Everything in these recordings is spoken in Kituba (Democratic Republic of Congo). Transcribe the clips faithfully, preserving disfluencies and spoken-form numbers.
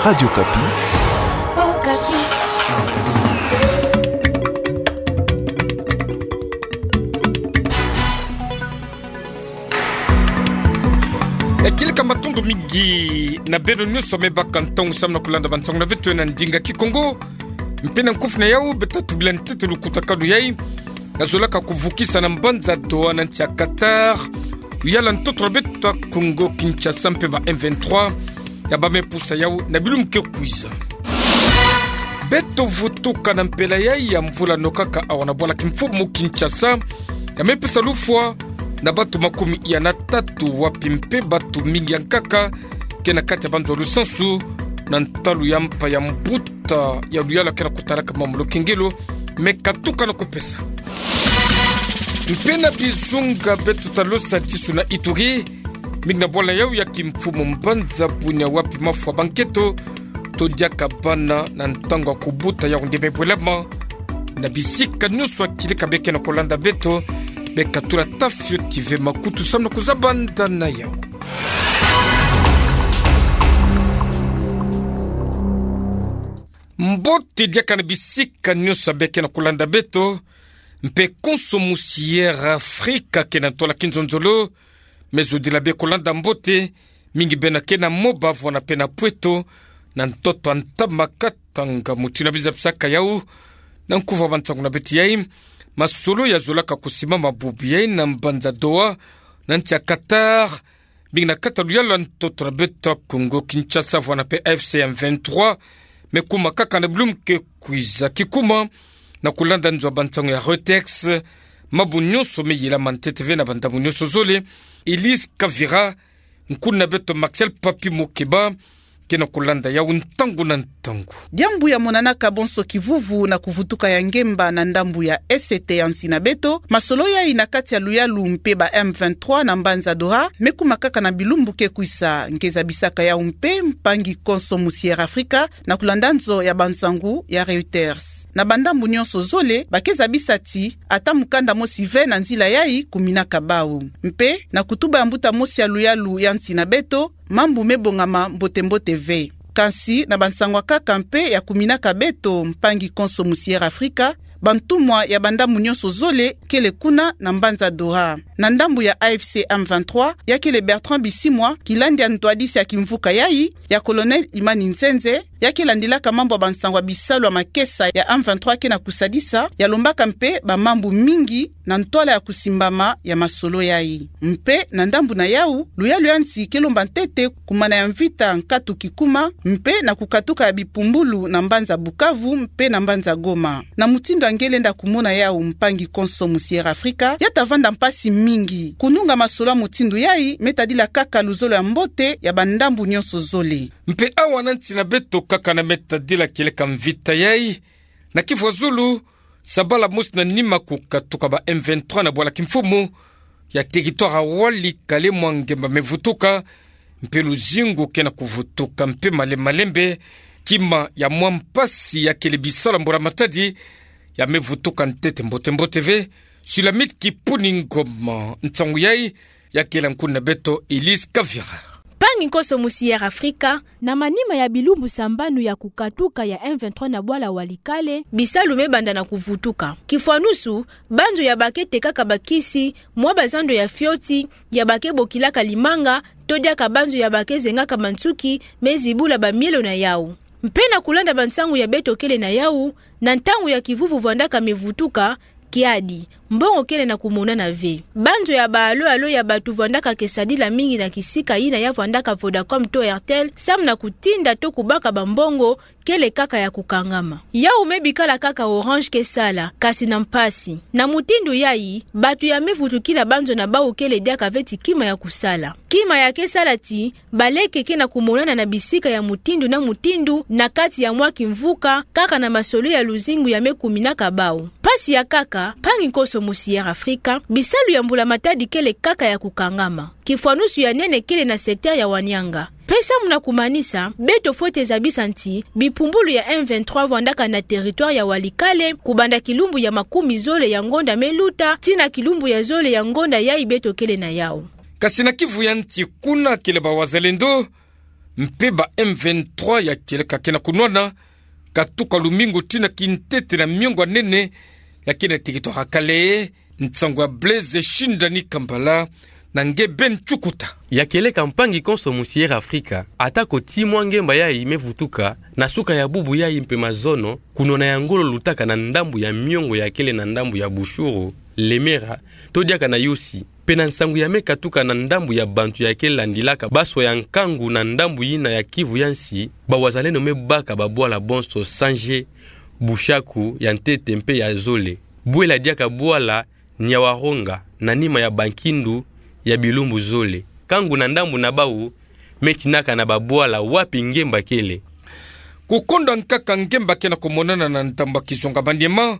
Radio Okapi. E, kieleka matondo mingi na beno nyonso me baka ntangu samu na kulanda bansangu na beto na ndinga Kikongo. Mpe na nkufi na yau, beto tubila ntete lukutakanu yai, ya zolaka kuvukisa na mbanza Doha na nsi ya Qatar, luyala ntoto na beto ya Congo Kinshasa mpe ba M vingt-trois, ya bam'e pusa yau na bilumbu ke kwiza. Beto vutuka na mpela yai ya mvula nokaka awa na bwala kimfumu Kinshasa, ya me pesa lufwa na bato makumi ya na tatu, wapi mpe bato mingi ya nkaka ke na kati ya banzo ya lusansu, na ntalu ya mpa ya mbuta ya luyala ke na kutalaka mamu Lokengelo, me katuka na kupesa. Mpe na bizunga beto ta losa tisu na Ituri, mingi na bwala yau ya kimfumu mbanza Bunia, wapi mafwa ba nketo to diaka bana na ntangu ya kubuta yau nde me bwelama. Na bisika nyonso ya kieleka be ke na kulanda beto, be katula ta fioti ve makutu samu na kuzabanda na yau. Mbote diaka na bisika nyonso ya be ke na kulanda beto, mpe konso musi Air Africa ke na ntwala kinzonzolo, me zodila be kulanda mbote, mingi bena ke na Moba vwanda mpe na Pweto, na ntoto ya ntama Katanga. Mutindu ya biza bisaka yau, na nkufi ya bansangu na beto yai, masolo ya zolaka kusimama bubu yai na mbanza Doha, na nsi ya Qatar, mingi na kati ya luyala ntoto na beto ya Congo Kinshasa vwanda mpe A F C M vingt-trois, me kuma kaka na bilumbu ke kwiza. Kikuma, na kulanda nzo ya bansangu ya Reuters, mabu nyonso me yelama ntete ve na bandambu nyonso zole. Elise Kavira, nkuna beto Maxel Papi Mukeba, ke na kulanda yau ntangu na ntangu. Diambu ya monanaka bonso kivuvu na kuvutuka ya ngemba na ndambu ya est ya nsi na beto, masolo yai na kati ya luyalu mpe ba M vingt-trois na mbanza Doha, me kuma kaka na bilumbu ke kwiza. Nge zabisaka yau mpe mpangi konso musi Air Africa, na kulanda nzo ya bansangu ya Reuters. Na bandambu nyonso zole, ba ke zabisa ti ata mukanda mosi ve na nzila yai kuminaka bau. Mpe, na kutuba ya mbuta mosi ya luyalu ya nsi na beto, mambu me bongama mbote-mbote ve. Kansi na bansangu ya nkaka mpe ya kuminaka beto, mpangi konso musi Air Africa, bantumwa ya bandambu nyonso zole kele kuna na mbanza Doha. Na ndambu ya A F C M vingt-trois, ya kele Bertrand Bisimwa, kilandi ya ntwadisi ya kimvuka yai, ya Colonel Imani Nzenze, ya ke landilaka mambu ya bansangu ya bisalu ya makesa ya M vingt-trois ke na kusadisa, ya lombaka mpe bamambu mingi na ntwala ya kusimbama ya masolo yai. Mpe na ndambu na yau, luyalu ya nsi ke lomba ntete kumana ya mvita nkatu kikuma, mpe na kukatuka ya bipumbulu na mbanza Bukavu mpe na mbanza Goma. Na mutindu ya nge lenda kumona yau, mpangi konso musi Air Africa, ya ta vanda mpasi mingi. Kununga masolo ya mutindu yai me tadila kaka luzolo ya mbote ya bandambu nyonso zole. Mpe awa na nsi na beto kaka na me tadila kieleka mvita yai, na kivu ya zulu, sabala mosi na nima kukatuka ba M vingt-trois na bwala kimfumu ya territoire ya Walikale, mwa ngemba me vutuka, mpe luzingu ke na kuvutuka mpe malembe-malembe, kima ya mwa mpasi ya kele bisalu ya mbula matadi, ya me vutuka ntete mbote-mbote ve. Sulamite Kipuni Ngoma, nsangu yai, ya kele nkuna beto Elise Kavira. Mpangi konso musi Air Africa, na manima ya bilumbu sambanu ya kukatuka ya M vingt-trois na bwala Walikale, bisalu me banda na kuvutuka. Kifwanusu, banzo ya ba ke tekaka bakisi, mwa bazando ya fioti, ya ba ke bokilaka limanga, to diaka banzo ya ba ke zengaka bansuki, me zibula bamielo na yau. Mpe na kulanda bansangu ya beto kele na yau, na ntangu ya kivuvu vwandaka me vutuka, kiadi, mbongo kele na kumonana ve. Banzo ya ba allô-allô ya bato vwandaka ke sadila mingi na kisika yina ya vwandaka Vodacom to Airtel, samu na kutinda to kubaka bambongo, kele kaka ya kukangama. Yau me bikala kaka Orange ke sala, kasi na mpasi. Na mutindu yai, bato ya me vutukila banzo na bau kele diaka ve ti kima ya kusala. Kima ya ke sala ti, baleke ke na kumonana na bisika ya mutindu na mutindu na kati ya mwa kimvuka, kaka na masolo ya luzingu ya me kuminaka bau. Mpasi ya nkaka, mpangi konso musi Air Africa, bisalu ya mbula matadi kele kaka ya kukangama. Kifwanusu ya nene kele na secteur ya Wanianga. Mpe samu na kumanisa, beto fwete zabisa ti, bipumbulu ya M vingt-trois vwandaka na territoire ya Walikale, kubanda kilumbu ya makumi zole ya ngonda me luta, tii na kilumbu ya zole ya ngonda yai beto kele na yau. Kasi na kivu ya nsi kuna kele ba wazalendo, mpe ba M vingt-trois ya kieleka kena kunwana, katuka lumingu tina kintete na miongo ya nene, ya kena teritware ya Kalehe, nsangu ya Blaise Shindani Kambala, na nge Ben Chukuta. Ya kieleka mpangi konso mu Sierra Afrika, atako ti mwa ngemba yayi mevutuka, na suka ya bubu yayi mpe mazono, kunwana ya ngolo lutaka na ndambu ya miongo ya kele na ndambu ya Bushuru, Lemera, to diaka na Yossi. Mpe na nsangu ya mekatuka na ndambu ya bantu ya kelandilaka baswa ya nkangu na ndambu yina ya Kivu ya nsi, ba wazalendo mebaka babwala bonso Sanje, Bushaku, ya ntete mpe ya zole. Bwela diaka bwala Nyawaronga, na nima ya bankindu ya bilumbu zole. Nkangu na ndambu na bau, metinaka na babwala wapi ngemba kele. Kukonda nkaka ngemba kena kumonana na ndambu ya kizunga Maniema,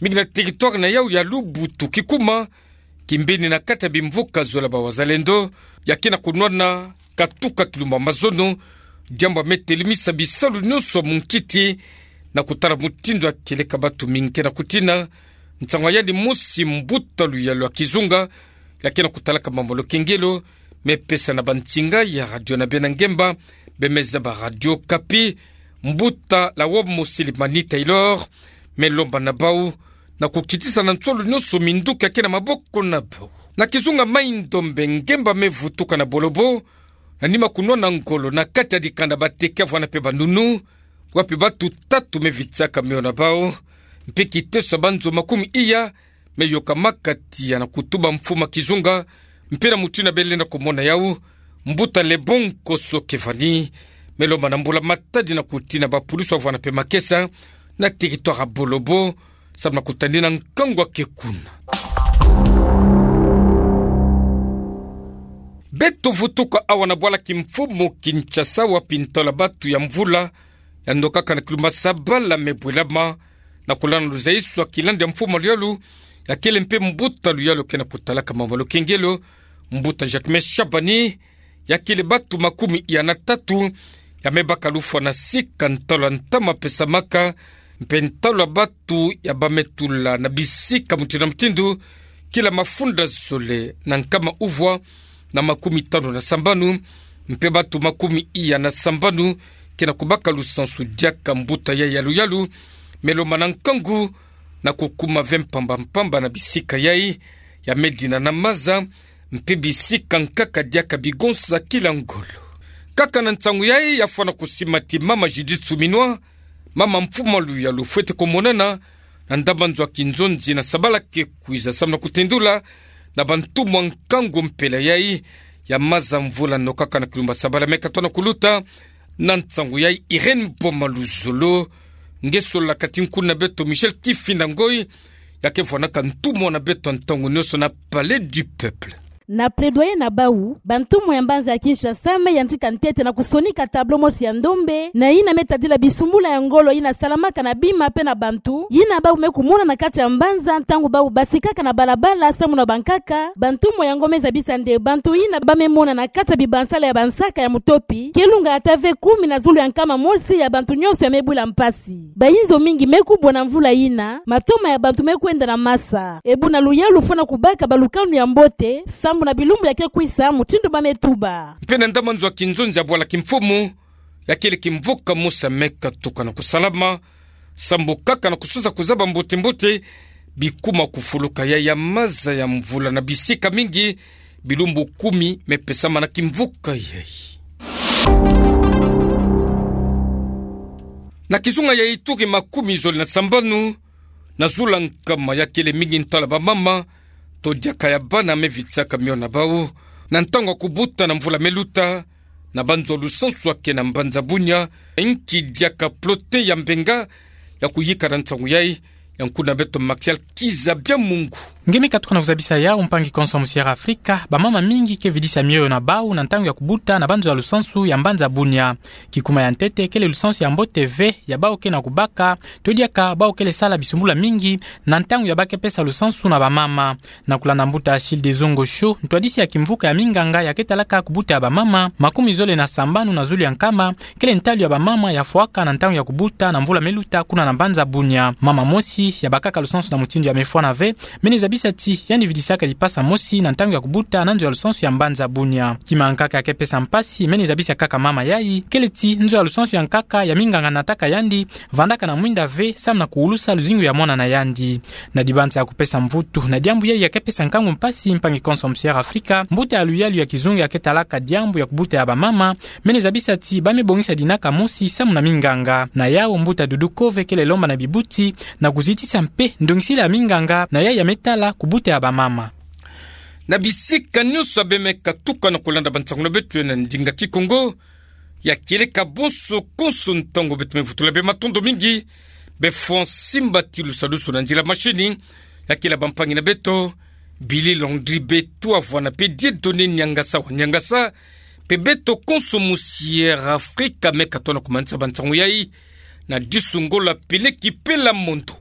mingi na teritware na yau ya Lubutu Kikuma, kimbini na kati ya bimvuka zola ba wazalendo, ya kena kunwana, katuka kilumbu ya mazono, diambu ya metelemisa bisalu nyonso ya munkiti, na kutala mutindu ya kieleka batu mingi kena kutina, nsangu ya yandi mosi mbuta luyalu ya kizunga, ya kena kutalaka mambu ya lukengelo, mepesa na bansinga ya radio na bena ngemba, bemeza ba Radio Okapi, mbuta Lawomo Silimani Taylor, melomba na bau, na kukitisa na nsolo nyonso minduki ya kena maboko na bau. Na kizunga Mai-Ndombe ngemba mevutuka na Bolobo, na nima kunwana ngolo na kati ya dikanda bateke ya vwanda mpe banunu, wapi batu tatu mevitisaka mio na bau, mpe kiteso ya banzo makumi iya, meyokamaka tiya na kutuba mfumu ya kizunga, mpe na mutindu belenda kumona yau, mbuta Lebon Koso Kevani, melomba na mbula-matadi na kutina bapulusi ya vwanda mpe makesa, na teritware ya Bolobo, samu na kutadina nkangu ya ke kuna. Beto vutuka awa na bwala kimfumu Kinshasa wapi ntalu ya batu ya mvula, ya nokaka na kilumbu ya sabala mebwelama, na kulanda luzaiso ya kilandi ya mfumu ya luyalu, ya kele mpe mbuta luyalu kena kutalaka mambu ya lukengelo, mbuta Jacquemain Shabani, ya kele batu makumi iya na tatu, ya mebaka lufwa na sika ntalu ya ntama pesamaka, mpe ntalu ya batu ya bametula na bisika mutindu na mutindu, kila mafunda zole na nkama uvwa na makumi tanu na sambanu, mpe batu makumi iya na sambanu, kena kubaka lusansu diaka mbuta yayi ya luyalu, melomba na nkangu, na kukuma ve mpamba-mpamba na bisika yayi, ya medina na maza, mpe bisika nkaka diaka bigonsa kila ngolo. Kaka na nsangu yayi ya fwana kusimati mama Judith Suminwa, mama mfumu ya luyalu fwete kumonana, na ndambu ya nzo ya kinzonzi na sabala ke kwiza samu na kutendula, na bantumwa nkangu mpela yayi, ya maza mvula nokaka na kilumbu ya sabala mekatona kuluta, na nsangu yayi Irène Boma Luzolo, nge solola kati nkuna beto Michel Kifinda Ngoy, ya ke vwanaka ntumwa na beto ntangu nyonso na Palais du Peuple. Na plaidoyer na bau, bantumwa ya mbanza ya Kinshasa me yantika ntete na kusonika tableau mosi ya ndombe, na yina me tadila bisumbula ya ngolo yina salamaka na bima pe na bantu, yina bau me kumona na kati ya mbanza ntangu bau basikaka na balabala samu na bankaka, bantumwa yango me zabisa nde bantu yina ba me mona na kati ya bibansala ya bansaka ya mutopi, ke lunga ata ve kumi na zulu ya nkama mosi ya bantu nyonso ya me bwila mpasi. Bayinzo mingi me kubwa na mvula yina, matoma ya bantu me kwenda na masa. E buna luyalu fwana kubaka balukanu ya mbote, sambu na bilumbu ya ke kwisa, mutindu ba me tuba. Mpe na ndambu ya nzo ya kinzonzi ya bwala kimfumu, ya kele kimvuka mosi me katuka na kusalama, sambu kaka na kusosa kuzaba mbote-mbote, bikuma kufuluka ya, ya maza ya mvula na bisika mingi, bilumbu kumi me pesama na kimvuka yayi. Na kizunga ya Ituri makumi zole na sambanu, na zulu ya nkama ya kele mingi ntalu ya bamama, to diaka ya bana me vitisaka mio na bau, na ntangu ya kubuta na mvula me luta, na banzo ya lusansu ya ke na mbanza Bunia, inki diaka plote ya mbenga, ya kuyika na nsangu yayi, ya nkuna beto Martial Kiza Biamungu. Nge me katuka na kuzabisa yau mpangi konso mu Sierra Afrika, bamama mingi ke vidisa mioyo na bau na ntangu ya kubuta na banzo ya lusansu ya mbanza Bunia. Kikuma ya ntete kele lusansu ya mbote ve ya bau ke na kubaka, to diaka bau kele sala bisumbula mingi na ntangu ya ba ke pesa lusansu na bamama. Na kulanda mbuta Achille Dezongo Sho, ntwadisi ya kimvuka ya minganga ya ke talaka kubuta ya bamama, makumi zole na sambanu na zulu ya nkama, kele ntalu ya bamama ya fwaka na ntangu ya kubuta na mvula me luta kuna na mbanza Bunia. Mama mosi ya bakaka lusansu na mutindu ya me fwana ve, mene zabisi zabisa ti yandi vidisaka lipasa mosi na ntangu ya kubuta na nzo ya lusansu ya mbanza Bunia. Kima nkaka ya kepesa mpasi, mene zabisa kaka mama yai, kele ti nzo ya lusansu ya nkaka ya minganga nataka yandi vandaka na mwinda ve, samu na kuulusa luzingu ya mwana na yandi. Na dibanza ya kupesa mvutu na diambu yai ya kepesa nkangu mpasi, mpangi konso Musière Afrika, mbuta ya luyalu ya kizunga ya ketalaka diambu ya kubuta ya bamama, mene zabisa ti ba me bongisa dinaka mosi samu na minganga. Na yau, mbuta Doudou Kove kele lomba na bibuti na kuzitisa mpe ndongisila ya minganga na yai ya me tala kubuta ya bamama. Na bisika nyonso ya be me katuka na kulanda bansangu na beto na ndinga Kikongo, ya kieleka bonso konso ntangu beto me vutula bie matondo mingi. Be fwa nsimbatilu sadusu na nzila mashini, ya kiela bampangi na beto, Billy Landry Beto Avwana mpe Dieudonné Niangasa wa Niangasa, mpe beto konso Musière Afrika me katoa na kumanisa bansangu yai na disu Ngola, Peleki mpe Lamondo.